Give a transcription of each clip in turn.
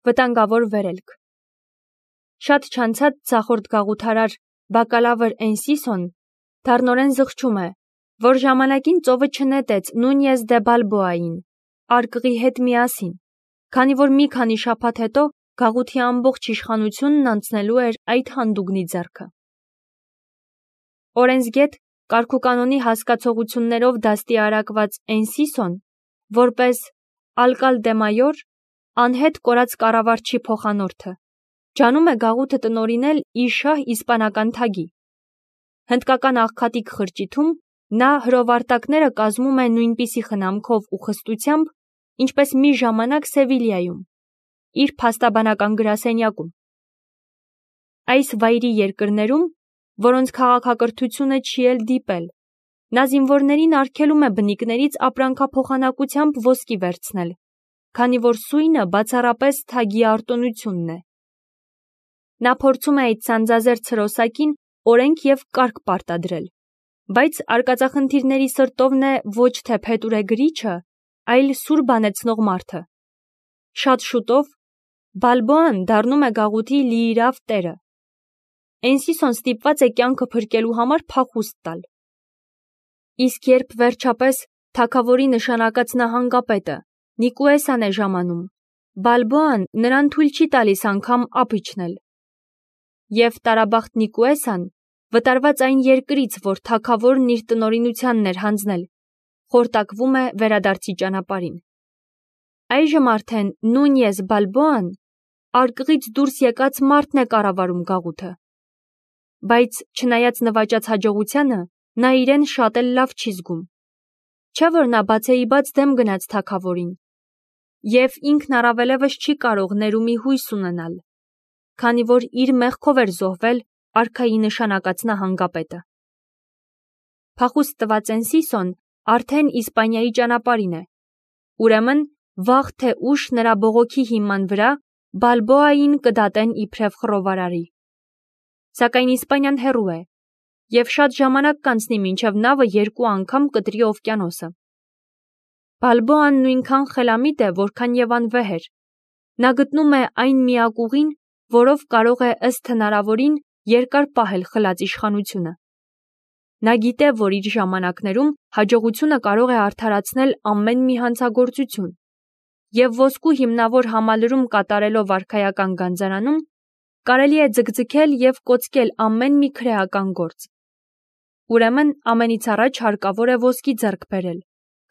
Վտանգավոր վերելք։ Շատ չանցած ցախորդ գաղութարար բակալավր Էնսիսոն դառնորեն զղջում է, որ ժամանակին ծովը չնետեց Նունյես դե Բալբոային, արկղի հետ միասին, քանի որ մի քանի շաբաթ հետո գաղութի ամբողջ իշխանությունն անցնելու էր այդ հանդուգնի ձեռքը։ Օրենսգետ կարգուկանոնի հասկացողություններով դաստիարակված Էնսիսոն, որպես ալկալդեմայոր, անհետ կորած կառավարչի փոխանորդը, ջանում է գաղութը տնօրինել իր շահ իսպանական թագի։ Հնդկական աղքատիկ խրճիթում նա հրովարտակները կազմում է նույնպիսի խնամքով ու խստությամբ, ինչպես մի ժամանակ Սևիլիայում, իր փաստաբանական գրասենյակում։ Այս վայրի երկրներում, որոնց քաղաքակրթությունը չի էլ դիպել, նա զինվորներին արգելում է բնիկներից ապրանքափոխանակությամբ ոսկի վերցնել, քանի որ սույնը բացառապես թագի արտոնությունն է։ Նա փորձում է այդ սանձազերծ հրոսակին օրենք և կարգ պարտադրել, բայց արկածախնդիրների սրտովն է ոչ թե փետուրե գրիչը, այլ սուր բանեցնող մարդը։ Շատ շուտով Բալբոան դառնում է գաղութի լիիրավ տերը։ Էնսիսոն ստիպված է կյանքը փրկելու համար փախուստ տալ։ Իսկ երբ վերջապես թագավորի նշանակած նահանգապետը Նիկուեսան է ժամանում, Բալբոան նրան թույլ չի տալիս անգամ ափ իջնել։ Եվ տարաբախտ Նիկուեսան, վտարված այն երկրից, որ թագավորն իր տնօրինությանն էր հանձնել, խորտակվում է վերադարձի ճանապարհին։ Այժմ արդեն Նունյես Բալբոան արկղից դուրս եկած մարդն է կառավարում գաղութը։ Բայց չնայած նվաճած հաջողությանը, նա իրեն շատ էլ լավ չի զգում։ Չէ՞ որ նա բացեիբաց դեմ գնաց թագավորին, և ինքն առավելևս չի կարող ներումի հույս ունենալ, քանի որ իր մեղքով էր զոհվել արքայի նշանակած նահանգապետը։ Փախուստ տված Էնսիսոն արդեն Իսպանիայի ճանապարհին է, ուրեմն վաղ թե ուշ նրա բողոքի հիման վրա Բալբոային կդատեն իբրև խռովարարի։ Սակայն Իսպանիան հեռու է, և շատ ժամանակ կանցնի մինչև նավը երկու անգամ կտրի օվկիանոսը։ Բալբոան նույնքան խելամիտ է, որքան և անվեհ էր։ Նա գտնում է այն միակ ուղին, որով կարող է ըստ հնարավորին երկար պահել խլած իշխանությունը։ Նա գիտե, որ իր ժամանակներում հաջողությունը կարող է արդարացնել ամեն մի հանցագործություն, և ոսկու հիմնավոր համալրում կատարելով արքայական գանձարանում կարելի է ձգձգել և կոծկել ամեն մի քրեական գործ։ Ուրեմն ամենից առաջ հարկավոր է ոսկի ձեռք բերել,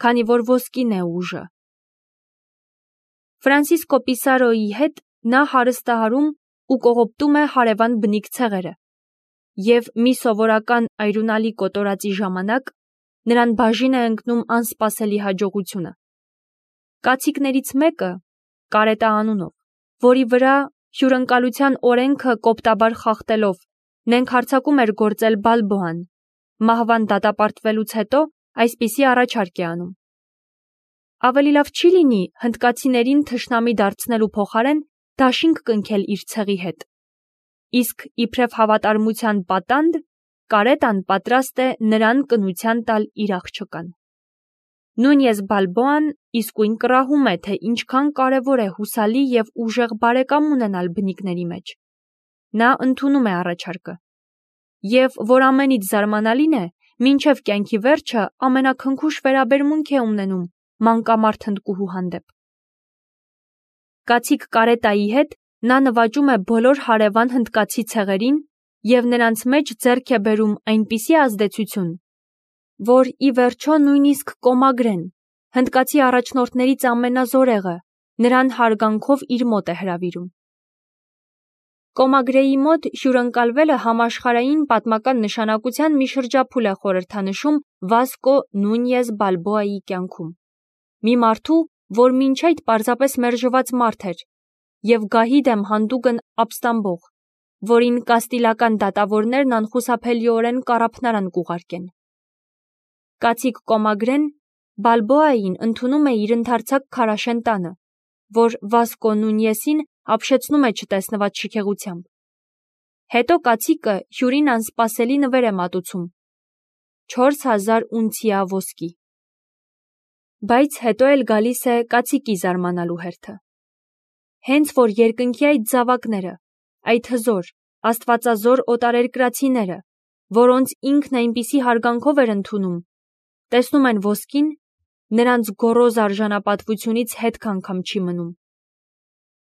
քանի որ ոսկին է ուժը։ Ֆրանսիսկո Պիսարոյի հետ նա հարստահարում ու կողոպտում է հարևան բնիկ ցեղերը, և մի սովորական այրունալի կոտորածի ժամանակ նրան բաժին է ընկնում անսպասելի հաջողությունը։ Կացիկներից մեկը, Կարետա անունով, որի վրա հյուրընկալության օրենքը կոպտաբար խախտելով նենք հարձակում էր գործել Բալբոան, մահվան դատապարտվելուց հետո այսպիսի առաջարկ է անում. ավելի լավ չի լինի հնդկացիներին թշնամի դարձնելու փոխարեն դաշինք կնքել իր ցեղի հետ, իսկ իբրև հավատարմության պատանդ Կարետան պատրաստ է նրան կնության տալ իր աղջկան։ Նունյես Բալբոան իսկույն կռահում է, թե ինչքան կարևոր է հուսալի և ուժեղ բարեկամ ունենալ բնիկների մեջ։ Նա ընդունում է առաջարկը, և որ ամենից զարմանալին է, մինչև կյանքի վերջը ամենաքնքուշ վերաբերմունք է ունենում մանկամարդ հնդկուհու հանդեպ։ Կացիկ Կարետայի հետ նա նվաճում է բոլոր հարևան հնդկացի ցեղերին և նրանց մեջ ձեռք է բերում այնպիսի ազդեցություն, որ ի վերջո նույնիսկ Կոմագրեն, հնդկացի առաջնորդներից ամենազորեղը, նրան հարգանքով իր մոտ է հրավիրում։ Կոմագրեի մոտ հյուրընկալվելը համաշխարհային պատմական նշանակության մի շրջափուլ է խորհրդանշում Վասկո Նունյես Բալբոայի կյանքում։ Մի մարդու, որ մինչ այդ պարզապես մերժված մարդ էր և գահի դեմ հանդուգն ապստամբող, որին կաստիլական դատավորներն անխուսափելիորեն կառափնարան կուղարկեն։ Կացիկ Կոմագրեն Բալբոային ընդունում է իր ընդարձակ քարաշեն տանը, որ Վասկո Նունյեսին ապշեցնում է չտեսնված շքեղությամբ։ Հետո կացիկը հյուրին անսպասելի նվեր է մատուցում՝ 4000 ունցիա ոսկի։ Բայց հետո էլ գալիս է կացիկի զարմանալու հերթը։ Հենց որ երկնքի այդ զավակները, այդ հզոր, աստվածազոր օտարերկրացիները, որոնց ինքն այնպիսի հարգանքով էր ընդունում, տեսնում են ոսկին, նրանց գոռոզ արժանապատվությունից հետք անգամ չի մնում։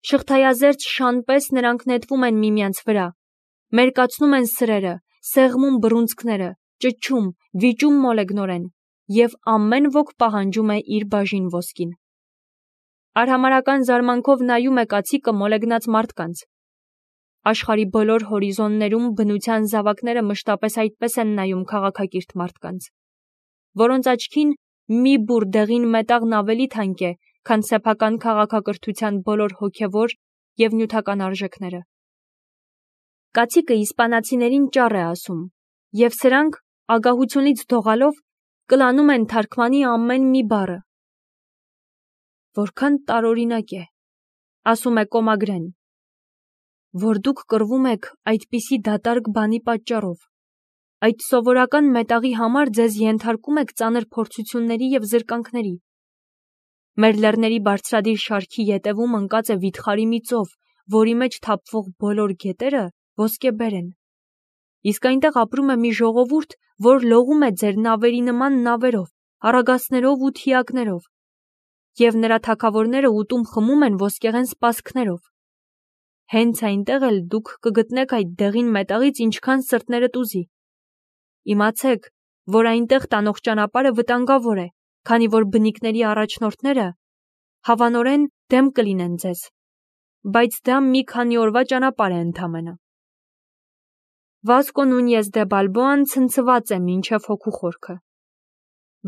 Շղթայազերծ շան պես նրանք նետվում են միմյանց վրա, մերկացնում են սրերը, սեղմում բռունցքները, ճչում, վիճում մոլեգնորեն, և ամեն ոք պահանջում է իր բաժին ոսկին։ Արհամարհական զարմանքով նայում է կացիկը մոլեգնած մարդկանց։ Աշխարհի բոլոր հորիզոններում բնության զավակները մշտապես այդպես են նայում քաղաքակիրթ մարդկանց, որոնց աչքին մի բուռ դեղին մետաղն ավելի թանկ է, քան սեփական քաղաքակրթության բոլոր հոգևոր և նյութական արժեքները։ Կացիկը իսպանացիներին ճառ է ասում, և սրանք, ագահությունից դողալով, կլանում են թարգմանի ամեն մի բառը։ Որքան տարօրինակ է, ասում է Կոմագրեն, որ դուք կռվում եք այդպիսի դատարկ բանի պատճառով, այդ սովորական մետաղի համար ձեզ ենթարկում եք ծանր փորձությունների և զրկանքների։ Մեր լեռների բարձրադիր շարքի ետևում ընկած է վիթխարի մի ծով, որի մեջ թափվող բոլոր գետերը ոսկեբեր են։ Իսկ այնտեղ ապրում է մի ժողովուրդ, որ լողում է ձեր նավերի նման նավերով, առագաստներով ու թիակներով, և նրա թագավորները ուտում խմում են ոսկեղեն սպասքներով։ Հենց այնտեղ էլ դուք կգտնեք այդ դեղին մետաղից ինչքան սրտներդ ուզի։ Իմացեք, որ այնտեղ տանող ճանապարհը վտանգավոր է, քանի որ բնիկների առաջնորդները հավանորեն դեմ կլինեն ձեզ, բայց դա մի քանի օրվա ճանապարհ է ընդամենը։ Վասկո Նունյես դե Բալբոան ցնցված է մինչև հոգու խորքը։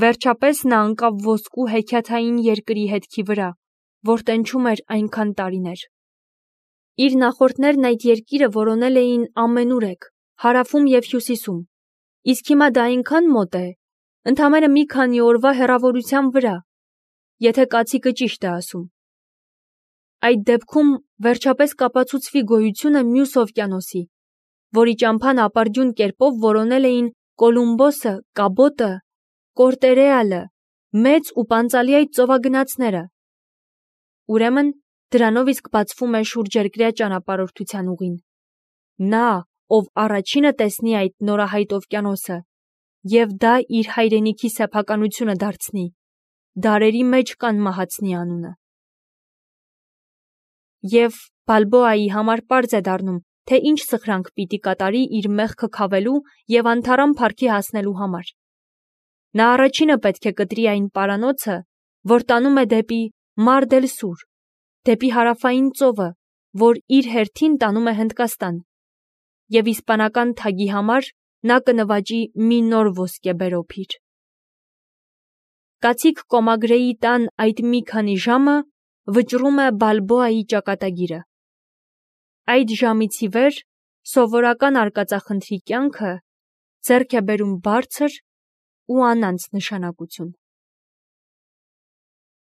Վերջապես նա ընկավ ոսկու հեքիաթային երկրի հետքի վրա, որ տենչում էր այնքան տարիներ։ Իր նախորդներն այդ երկիրը որոնել էին ամենուրեք, հարավում և հյուսիսում, իսկ հիմա դա այնքան մոտ է, ընդամենը մի քանի օրվա հեռավորության վրա, եթե կացիկը ճիշտ է ասում։ Այդ դեպքում վերջապես կապացուցվի գոյությունը մյուս օվկիանոսի, որի ճամփան ապարդյուն կերպով որոնել էին Կոլումբոսը, Կաբոտը, Կորտերեալը, մեծ ու պանծալի այդ ծովագնացները։ Ուրեմն դրանով իսկ բացվում է շուրջերկրյա ճանապարհորդության ուղին։ Նա, ով առաջինը տեսնի այդ նորահայտ օվկիանոսը, և դա իր հայրենիքի սեփականությունը դարձնի, դարերի մեջ կանմահացնի անունը։ Եվ Բալբոայի համար պարզ է դառնում, թե ինչ սխրանք պիտի կատարի իր մեղքը քավելու և անթառամ փառքի հասնելու համար։ Նա առաջինը պետք է կտրի այն պարանոցը, որ տանում է դեպի Մար դել Սուր, դեպի հարավային ծովը, որ իր հերթին տանում է Հնդկաստան, և իսպանական թագի համար նա կնվաճի մի նոր ոսկեբեր օփիր։ Կացիկ Կոմագրեի տան այդ մի քանի ժամը վճռում է Բալբոայի ճակատագիրը։ Այդ ժամից ի վեր սովորական արկածախնդրի կյանքը ձեռք է բերում բարձր ու անանց նշանակություն։